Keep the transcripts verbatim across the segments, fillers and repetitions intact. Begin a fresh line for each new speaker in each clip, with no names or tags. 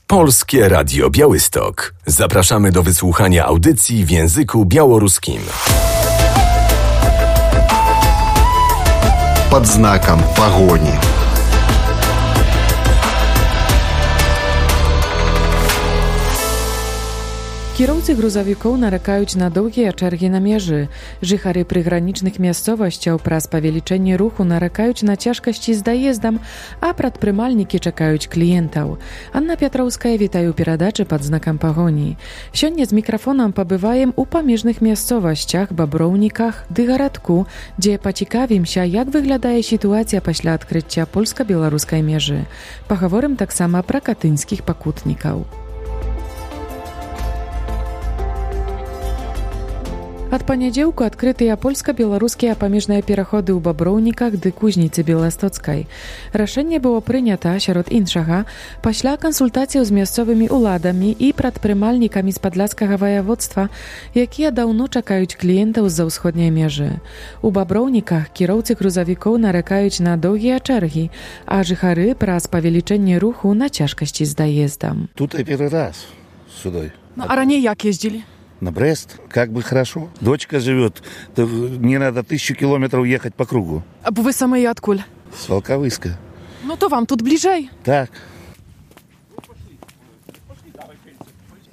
Polskie Radio Białystok. Zapraszamy do wysłuchania audycji w języku białoruskim.
Pod znakiem pogoni.
Kierowcy грузовиков нарекают на долгие черги на межи. Жихары приграничных местностей праз павелічэнне руху нарекают на цяжкасці з даездам, а прадпрымальнікі чакаюць кліентаў. Анна Пятроўская, вітаю перадачы пад знакам пагоні. Сёння з мікрафонам пабываем у памежных мясцовасцях, баброўніках ды гарадку, дзе пацікавімся, як выглядае сітуацыя пасля адкрыцця польска-беларускай межы. Пагаворым таксама пра катынскіх пакутнікаў. Ад панядзелку адкрытыя польска-беларускія памежныя пераходы ў баброўніках ды кузніцы беластоцкай. Рашэнне было прынята, сярод іншага, пасля кансультацыяў з мясцовымі ўладамі і прадпрымальнікамі з падляшскага ваяводства, якія даўно чакаюць кліентаў з-за ўсходняй межы. У баброўніках кіроўцы грузавікоў нарекаюць на доўгія чэргі, а жыхары праз павелічэнне руху на цяжкасці з даездам.
Тут и первый раз сюда.
Ну, а ранее як ездили?
На Брест, как бы хорошо. Дочка живет, не надо тысячу километров ехать по кругу.
А вы самые откуль?
С Волковыска.
Ну то вам тут ближай.
Так.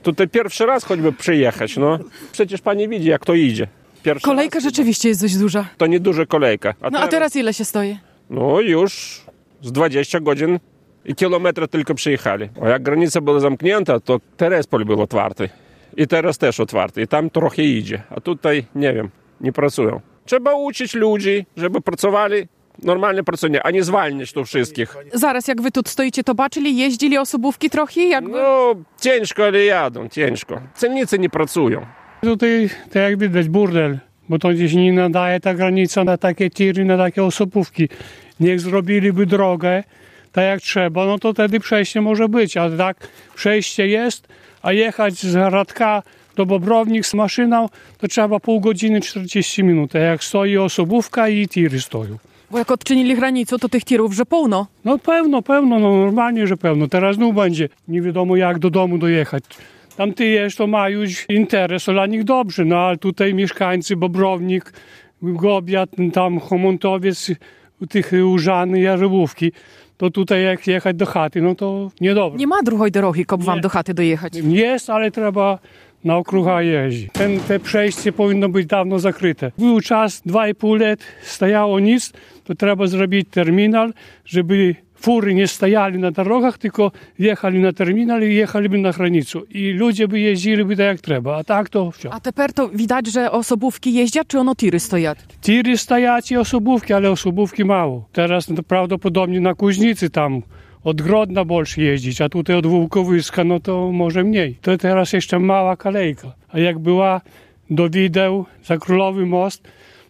Тут i pierwszy raz choćby przyjechać, no. Przecież pani widzi, jak to idzie. Pierwszy
Kolejka
raz.
rzeczywiście jest dość duża.
To nie duża kolejka.
A no teraz... a teraz ile się stoi?
No już z dwadzieścia godzin i kilometry tylko przyjechali. A jak granica była zamknięta, to Terespol był otwarty. I teraz też otwarty. I tam trochę idzie. A tutaj, nie wiem, nie pracują. Trzeba uczyć ludzi, żeby pracowali normalnie pracują, a nie zwalniać tu wszystkich.
Zaraz, jak wy tu stoicie, to baczyli, jeździli osobówki trochę? Jakby...
No, ciężko, ale jadą, ciężko. Celnicy nie pracują.
Tutaj, tak jak widać, burdel, bo to gdzieś nie nadaje ta granica na takie tiry, na takie osobówki. Niech zrobiliby drogę, tak jak trzeba, no to wtedy przejście może być, a tak przejście jest, a jechać z Radka do Bobrownik z maszyną, to trzeba pół godziny, czterdzieści minut, a jak stoi osobówka i tiry stoją.
Bo jak odczynili granicę, to tych tirów, że pełno?
No pełno, pełno, no normalnie, że pełno. Teraz znów będzie, nie wiadomo jak do domu dojechać. Tam ty jesz, to mają interes, to dla nich dobrze, no ale tutaj mieszkańcy Bobrownik, Gobiat, tam Chomontowiec, tych Użany, Jarzybówki, to tutaj jak jechać do chaty, no to niedobrze.
Nie ma drugiej drogi, jak wam do chaty dojechać?
Jest, ale trzeba na okruga jeździć. Ten, te przejście powinno być dawno zakryte. Był czas, dwa i pół lat stajało nic, to trzeba zrobić terminal, żeby fury nie stajali na drogach, tylko jechali na terminal i jechaliby na granicę. I ludzie by jeździliby tak jak trzeba, a tak to wciąż.
A teraz to widać, że osobówki jeździą, czy ono tiry stoją?
Tiry stoją i osobówki, ale osobówki mało. Teraz to prawdopodobnie na Kuźnicy tam od Grodna больше jeździć, a tutaj od Wołkowyska, no to może mniej. To teraz jeszcze mała kolejka. A jak była do Wideł, za Królowy Most,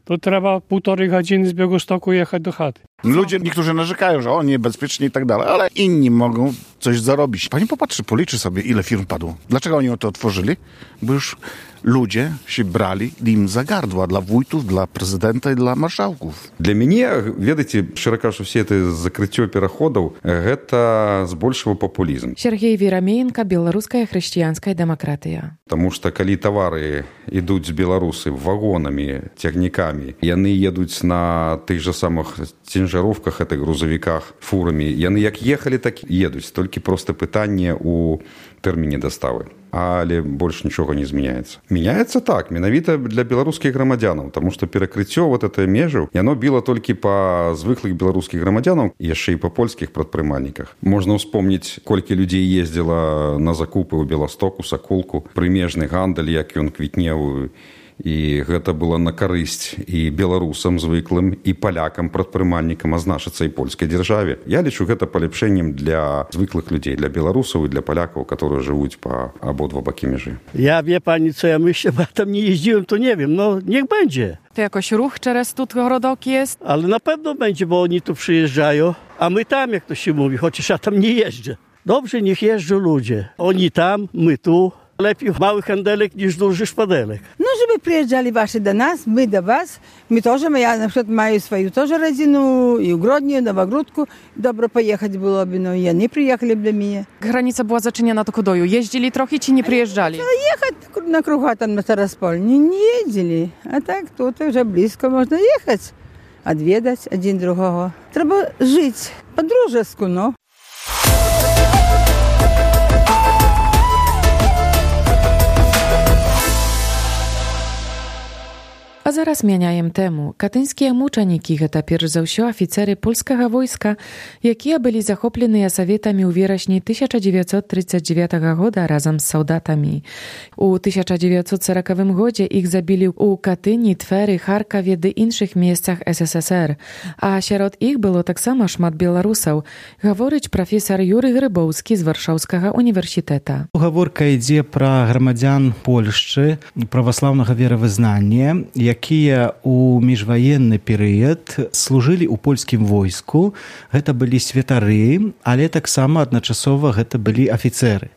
to trzeba półtorej godziny z Białegostoku jechać do chaty.
Ludzie, niektórzy narzekają, że o, niebezpiecznie i tak dalej, ale inni mogą coś zarobić. Pani popatrzy, policzy sobie, ile firm padło. Dlaczego oni to otworzyli? Bo już ludzie się brali im za gardła dla wójtów, dla prezydenta i dla marszałków.
Для мяне, ведаеце, шчыра кажучы, все это закрыццё пераходаў, гэта збольшага папулізм.
Сергей Верамеенко, беларуская хрысціянская дэмакратыя.
Таму што калі тавары ідуць з беларусы вагонамі, цягнікамі, яны едуць на тых жа самых цінжаровках, этой грузавіках, фурамі, яны як ехалі, так і едуць. Толькі проста пытанне ў тэрміне даставы. Але больш нічога не змяняецца. Мяняецца так, менавіта для беларускіх грамадзянаў, таму што перакрыццё вот этой межы, яно біла толькі па звыклых беларускіх грамадзянаў, яшчэ і па польскіх прадпрымальніках. Можна ўспомніць, колькі людзей ездзіла на закупы ў Беластоку, Саколку, прымежны гандаль, як ён квітнеў, і гэта было на карысць і беларусам звыклым, і палякам, прадпрымальнікам, а значыцца і польскай дзяржаве. Я лічу гэта палепшэннем для звыклых людзей, для беларусаў і для палякаў, которые жывуць па абодва бакі межы.
Ja wie pani, co ja myślę, bo ja tam nie jeździłem, to nie wiem, no niech będzie.
To jakoś ruch teraz tu Grodok jest?
Ale na pewno będzie, bo oni tu przyjeżdżają, a my tam, jak to się mówi, chociaż ja tam nie jeżdżę. Dobrze, niech jeżdżą ludzie. Oni tam, my tu. Lepiej mały handelek niż duży szpadelek.
No, żeby przyjeżdżali ваши до нас, my do was. My тоже, ja na przykład mają swoją тоже rodzinę i ogrodnię, Nowogródku. Dobrze pojechać byłoby, no i oni przyjechali do mnie.
Granica była zaczyniona do Kodoju. Jeździli trochę czy nie przyjeżdżali?
Jechać na krucha tam na Taraspol nie, nie jeździli. A tak tutaj już blisko można jechać. Odwiedzać один другого. Trzeba żyć po drużesku, no.
A zaraz mieniajem temu. Katyńskie muczaniki to перш за ўсё офицеры польскага войска, якія былі захопленыя саветамі ў верасні тысяча дзевяцьсот тридцать девятого года разам з салдатамі. У тысяча дзевяцьсот сорокавым годзе іх забілі ў Катыні, Твері, Харкаве ды іншых месцах СССР. А сярод іх было таксама шмат беларусаў, гаворыць прафесар Юрый Грыбоўскі з Варшаўскага універсітэта.
Гаворка ідзе пра грамадзян Польшчы праваслаўнага веравызнання, якія ў міжваенны перыяд служылі ў польскім войску. Гэта былі святары, але таксама адначасова гэта былі афіцэры,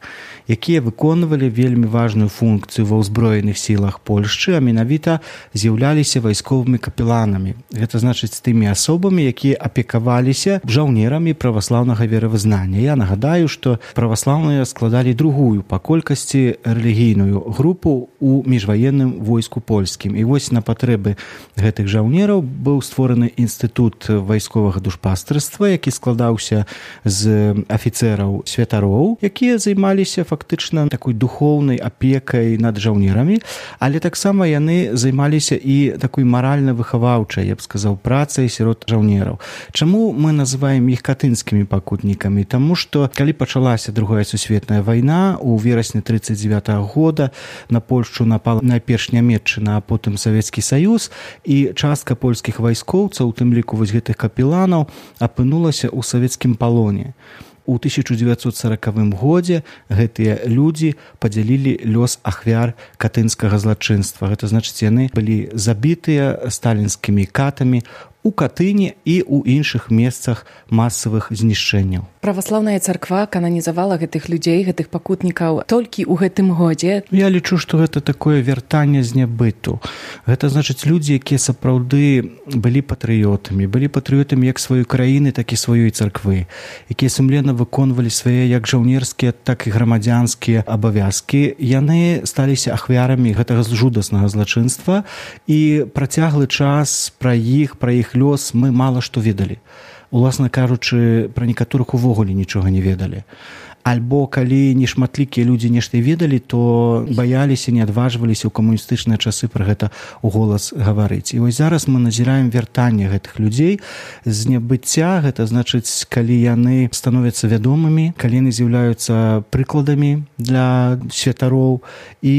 якія выконвалі вельмі важную функцыю ва ўзброеных сілах Польшчы, а менавіта з'яўляліся вайсковымі капеланамі. Гэта значыць тымі асобамі, якія апекаваліся жаўнерамі праваслаўнага веравызнання. Я нагадаю, што праваслаўныя складалі другую па колькасці рэлігійную групу ў міжваенным войску польскім. І вось на патрэбы гэтых жаўнераў быў створаны інстытут вайсковага душпастарства, які складаўся з афіцэраў святароў, якія займаліся фактычна такой духоўнай апекай над жаўнерамі, але таксама яны займаліся і такой маральна-выхаваўчай, я б сказаў, працай сярод жаўнераў. Чаму мы называем іх катынскімі пакутнікамі? Таму што калі пачалася Другая сусветная вайна, у верасні тридцать девятого года на Польшчу напала найперш Нямецчына, а потым Савецкі Саюз, і частка польскіх вайскоўцаў, у тым ліку вось гэтых капеланаў, апынулася ў савецкім палоне. У тысяча дзевяцьсот сорокавым годзе гэтыя людзі падзялілі лёс ахвяр катынскага злачынства. Гэта значыць, яны былі забітыя сталінскімі катамі у Катыні і ў іншых месцах масавых знішчэнняў.
Праваслаўная царква кананізавала гэтых людзей, гэтых пакутнікаў толькі ў гэтым годзе.
Я лічу, што гэта такое вяртанне з нябыту. Гэта значыць, людзі, якія сапраўды былі патрыётамі, былі патрыётамі як сваёй краіны, так і сваёй царквы, якія сумленна выконвалі свае як жаўнерскія, так і грамадзянскія абавязкі. Яны сталіся ахвярамі гэтага жудаснага злачынства, і працяглы час пра іх, пра іх лёс мы мала што ведалі. Уласна кажучы, пра некаторых увогуле нічога не ведалі. Альбо калі нешматлікія людзі нешта ведалі, то баяліся, не адважваліся ў камуністычныя часы пра гэта ў голас гаварыць. І вось зараз мы назіраем вяртанне гэтых людзей з нябыцця. Гэта значыць, калі яны становяцца вядомымі, калі яны з'яўляюцца прыкладамі для святароў. І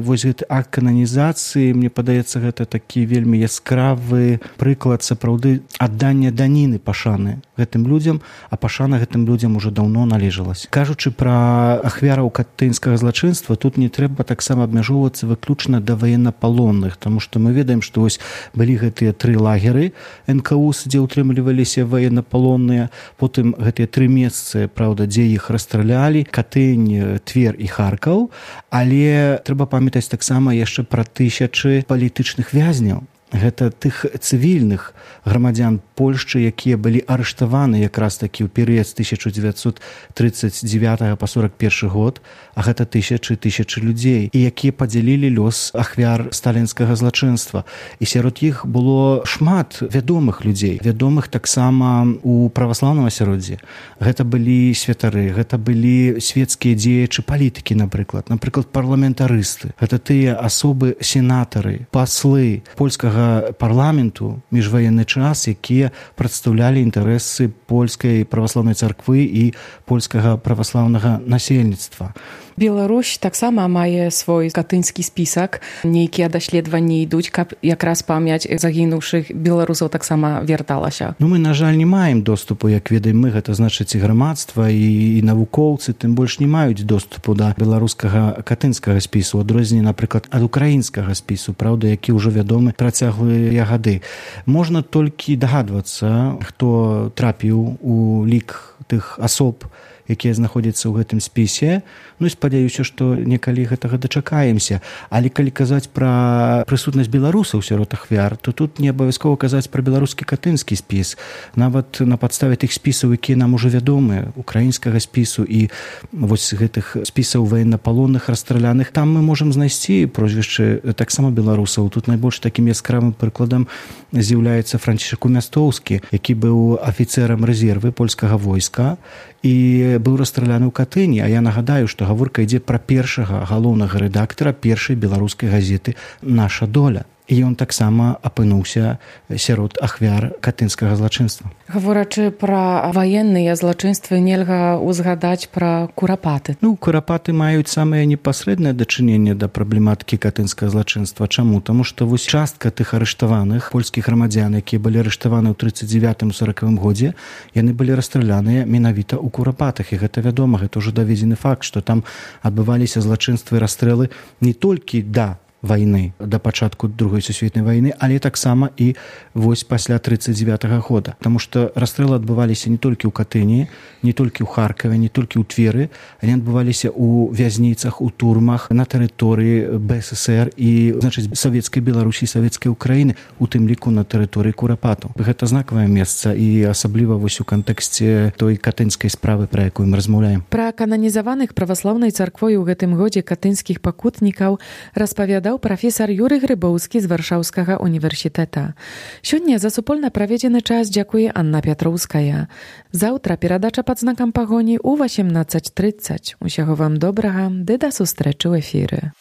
вось гэты акт кананізацыі, мне падаецца, гэта такі вельмі яскравы прыклад сапраўды аддання даніны пашаны гэтым людзям, а пашана гэтым людзям ужо даўно належалася. Кажучы пра ахвяраў катынскага злачынства, тут не трэба таксама абмяжоўвацца выключна да ваеннапалонных, таму што мы ведаем, што вось былі гэтыя тры лагеры эн ка у эс, дзе ўтрымліваліся ваеннапалонныя, потым гэтыя тры месцы, праўда, дзе іх расстралялі, Катынь, Твер і Харкаў, але трэба памятаць таксама яшчэ пра тысячы палітычных вязняў. Гэта тых цывільных грамадзян Польшчы, якія былі арыштаваны якраз такі ў перыяд з тысяча дзевяцьсот тридцать девятого па сорок першы год, а гэта тысячы тысячы людзей, і якія падзялілі лёс ахвяр сталінскага злачынства. І сярод іх было шмат вядомых людзей, вядомых таксама у праваслаўным асяроддзі. Гэта былі святары, гэта былі свецкія дзеячы палітыкі, напрыклад, напрыклад, парламентарысты. Гэта тыя асобы, сенатары, паслы польскага парламенту міжваенны час, якія прадстаўлялі інтарэсы польскай праваслаўнай царквы і польскага праваслаўнага насельніцтва.
Беларусь таксама мае свой катынскі спісак. Нейкія даследаванні ідуць, каб якраз памяць загінуўшых беларусаў таксама вярталася.
Ну, мы, на жаль, не маем доступу, як ведаем мы, гэта значыць і грамадства, і, і навукоўцы, тым больш не маюць доступу да беларускага катынскага спісу, адрозненне, напрыклад, ад украінскага спісу, праўда, які ўжо вядомы працяглыя гады. Можна толькі дагадвацца, хто трапіў у лік тых асоб, якія знаходзяцца ў гэтым спісе. Ну і спадзяюся, што некалі гэтага дачакаемся. Але калі казаць пра прысутнасць беларусаў сярод ахвяр, то тут не абавязкова казаць пра беларускі катынскі спіс. Нават на падставе тых спісаў, якія нам ужо вядомы, украінскага спісу і вось гэтых спісаў военнапалонных расстраляных, там мы можам знайсці прозвішчы таксама беларусаў. Тут найбольш такім яскравым прыкладам з'яўляецца Францішак Умястоўскі, які быў афіцэрам рэзервы польскага войска і быў расстраляны ў Катыні. А я нагадаю, што гаворка ідзе пра першага галоўнага рэдактара першай беларускай газеты «Наша доля». І ён таксама апынуўся сярод ахвяр катынскага злачынства.
Гаворачы пра ваенныя злачынствы, нельга узгадаць пра курапаты.
Ну, курапаты маюць самае непасрэднае дачыненне да праблематыкі катынскага злачынства. Чаму? Таму што вось частка тых арыштаваных польскіх грамадзян, якія былі арыштаваны ў трыццаць дзевятым соракавым годзе, яны былі расстраляныя менавіта ў курапатах. І гэта вядома, гэта ўжо даведзены факт, што там адбываліся злачынствы і расстрэлы не толькі да вайны, да пачатку другой сусветнай вайны, але таксама і вось пасля трыццаць дзевятага года. Таму што расстрэлы адбываліся не толькі ў Катыні, не толькі ў Харкаве, не толькі ў Твері, они адбываліся ў вязніцах, у турмах, на тэрыторыі бэ эс эс ер і, значыць, савецкай Беларусі, савецкай Украіны, у тым ліку на тэрыторыі курапатаў. Гэта знакавае месца і асабліва вось у кантэксце той катынскай справы, пра якую мы размаўляем.
Пра кананізаваных праваслаўнай царквой у гэтым годзе катынскіх пакутнікаў распавядаў прафесар Юрый Грыбоўскі з Варшаўскага універсітэта. Сёння за супольна праведзены час дзякуе Анна Пятроўская. Заўтра перадача пад знакам пагоні ў васемнаццаць трыццаць. Усяго вам добрага, ды да сустрэчы ў эфіры.